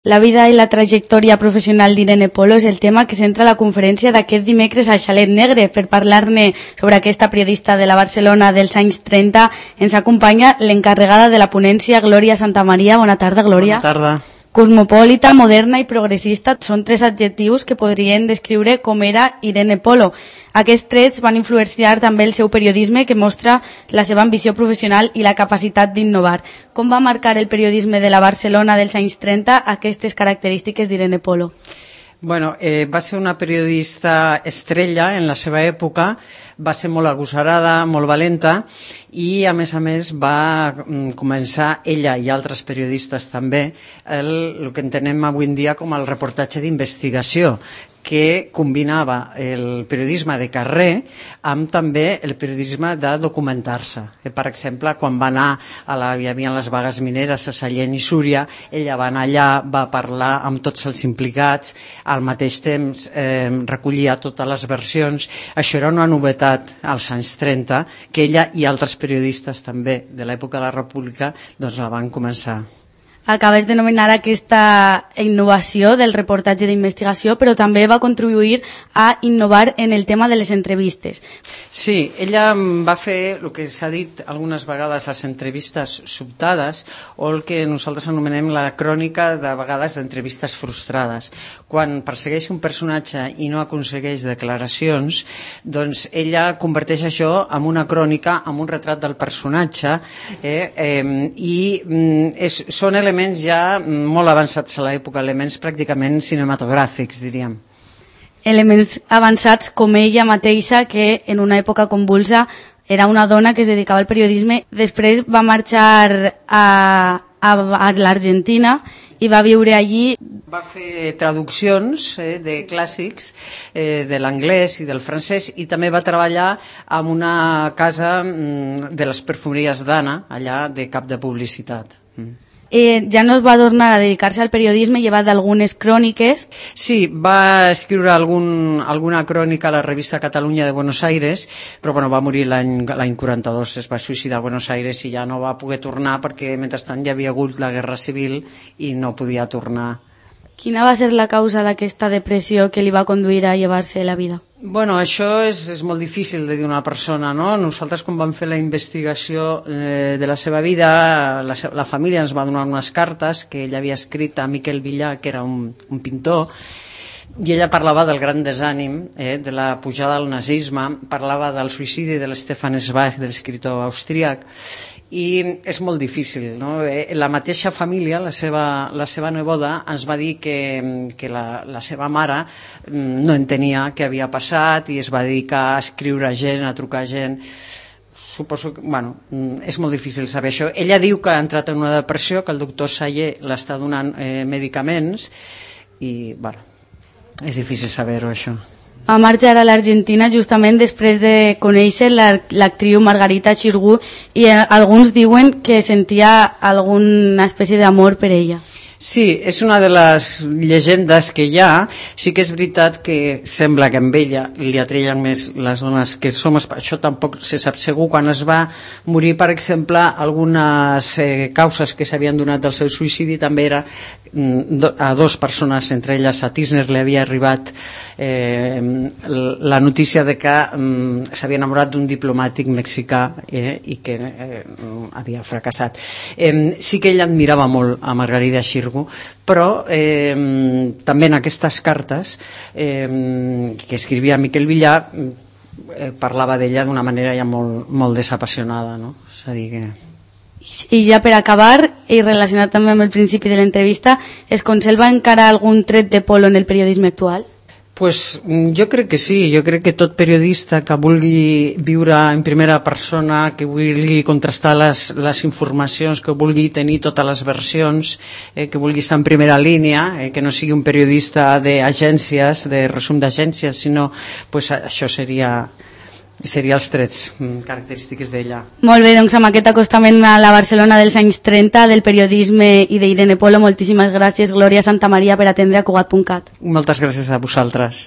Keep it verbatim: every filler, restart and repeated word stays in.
La vida i la trajectòria professional d'Irene Polo és el tema que centra la conferència d'aquest dimecres al Xalet Negre. Per parlar-ne sobre aquesta periodista de la Barcelona dels anys trenta ens acompanya l'encarregada de la ponència, Glòria Santamaria. Bona tarda, Glòria. Bona tarda. Cosmopolita, moderna i progressista són tres adjectius que podrien descriure com era Irene Polo. Aquests trets van influenciar també el seu periodisme, que mostra la seva ambició professional i la capacitat d'innovar. Com va marcar el periodisme de la Barcelona dels anys trenta aquestes característiques d'Irene Polo? Bueno, eh, va ser una periodista estrella en la seva època, va ser molt agosarada, molt valenta i a més a més va mm, començar ella i altres periodistes també el, el que entenem avui en dia com el reportatge d'investigació, que combinava el periodisme de carrer amb també el periodisme de documentar-se. Per exemple, quan va anar a la, hi havia les vagues mineres a Sallent i Súria, ella va anar allà, va parlar amb tots els implicats, al mateix temps eh, recollia totes les versions. Això era una novetat als anys trenta, que ella i altres periodistes també de l'època de la República doncs la van començar. Acabes de nomenar aquesta innovació del reportatge d'investigació, però també va contribuir a innovar en el tema de les entrevistes. Sí, ella va fer el que s'ha dit algunes vegades, les entrevistes sobtades, o el que nosaltres anomenem la crònica de vegades d'entrevistes frustrades. Quan persegueix un personatge i no aconsegueix declaracions, doncs ella converteix això en una crònica, en un retrat del personatge, eh, eh, i mm, és, són elements ja molt avançats a l'època, elements pràcticament cinematogràfics, diríem. Elements avançats com ella mateixa, que en una època convulsa era una dona que es dedicava al periodisme. Després va marxar a, a, a l'Argentina i va viure allí. Va fer traduccions eh, de clàssics eh, de l'anglès i del francès, i també va treballar en una casa mm, de les perfumeries d'Anna, allà de cap de publicitat. Mm. Eh, ja no es va tornar a dedicar-se al periodisme, llevat d'algunes cròniques. Sí, va escriure algun, alguna crònica a la revista Catalunya de Buenos Aires, però bueno, va morir l'any l'any quaranta-dos, es va suïcidar a Buenos Aires i ja no va poder tornar perquè mentrestant hi havia hagut la Guerra Civil i no podia tornar. Quina va ser la causa d'aquesta depressió que li va conduir a llevar-se la vida? Bueno, això és, és molt difícil de dir una persona, no? Nosaltres, quan vam fer la investigació eh, de la seva vida, la, la família ens va donar unes cartes que ella havia escrit a Miquel Villà, que era un, un pintor, i ella parlava del gran desànim, eh, de la pujada del nazisme, parlava del suïcidi de l'Stefan Zweig, de l'escriptor austríac, i és molt difícil, no? La mateixa família, la seva, la seva neboda, ens va dir que, que la, la seva mare no entenia què havia passat i es va dedicar a escriure gent, a trucar gent. Suposo que, bueno, és molt difícil saber això. Ella diu que ha entrat en una depressió, que el doctor Sayer l'està donant eh, medicaments i, bueno, és difícil saber-ho, això. Va marxar a l'Argentina justament després de conèixer l'actriu Margarita Xirgu, i alguns diuen que sentia alguna espècie d'amor per ella. Sí, és una de les llegendes que hi ha. Sí que és veritat que sembla que amb ella li atreien més les dones que som. Això tampoc se sap segur. Quan es va morir, per exemple, algunes eh, causes que s'havien donat del seu suïcidi també era a dues persones, entre elles a Tisner li havia arribat eh, la notícia de que um, s'havia enamorat d'un diplomàtic mexicà eh, i que eh, havia fracassat. Eh, sí que ell admirava molt a Margarita Xirgu, però eh, també en aquestes cartes eh, que escrivia Miquel Villà eh, parlava d'ella d'una manera ja molt, molt desapassionada, no? És a dir que... I ja per acabar, i relacionat també amb el principi de l'entrevista, es conserva encara algun tret de Polo en el periodisme actual? Pues jo crec que sí, jo crec que tot periodista que vulgui viure en primera persona, que vulgui contrastar les, les informacions, que vulgui tenir totes les versions, eh, que vulgui estar en primera línia, eh, que no sigui un periodista d'agències, de resum d'agències, sinó pues, això seria... serien els trets característics d'ella. Molt bé, doncs amb aquest acostament a la Barcelona dels anys trenta del periodisme i d'Irene Polo, moltíssimes gràcies, Glòria Santamaria, per atendre a Cugat punt cat. Moltes gràcies a vosaltres.